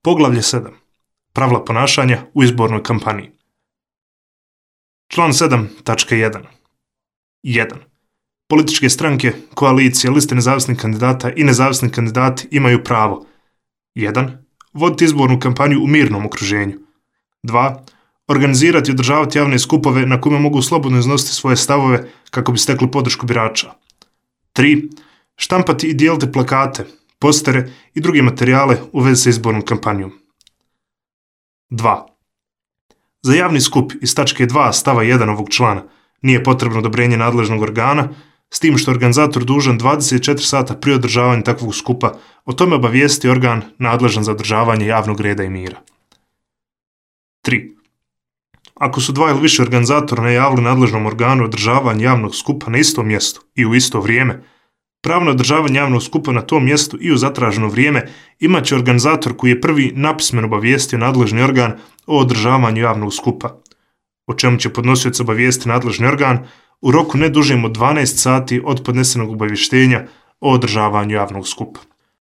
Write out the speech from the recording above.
Poglavlje 7. Pravila ponašanja u izbornoj kampaniji. Član 7.1. 1. Političke stranke, koalicije, liste nezavisnih kandidata i nezavisni kandidati imaju pravo 1. Voditi izbornu kampanju u mirnom okruženju. 2. Organizirati i održavati javne skupove na kojima mogu slobodno iznositi svoje stavove kako bi stekli podršku birača. 3. Štampati i dijeliti plakate, postere i druge materijale u vezi sa izbornom kampanjom. 2. Za javni skup iz tačke 2 stava 1 ovog člana nije potrebno odobrenje nadležnog organa, s tim što je organizator dužan 24 sata prije održavanja takvog skupa o tome obavijesti organ nadležan za održavanje javnog reda i mira. 3. Ako su 2 ili više organizatora najavili nadležnom organu održavanje javnog skupa na istom mjestu i u isto vrijeme, pravo na održavanje javnog skupa na tom mjestu i u zatraženo vrijeme imat će organizator koji je prvi napismeno obavijestio nadležni organ o održavanju javnog skupa, o čemu će podnosioc obavijesti nadležni organ u roku ne dužem od 12 sati od podnesenog obavještenja o održavanju javnog skupa.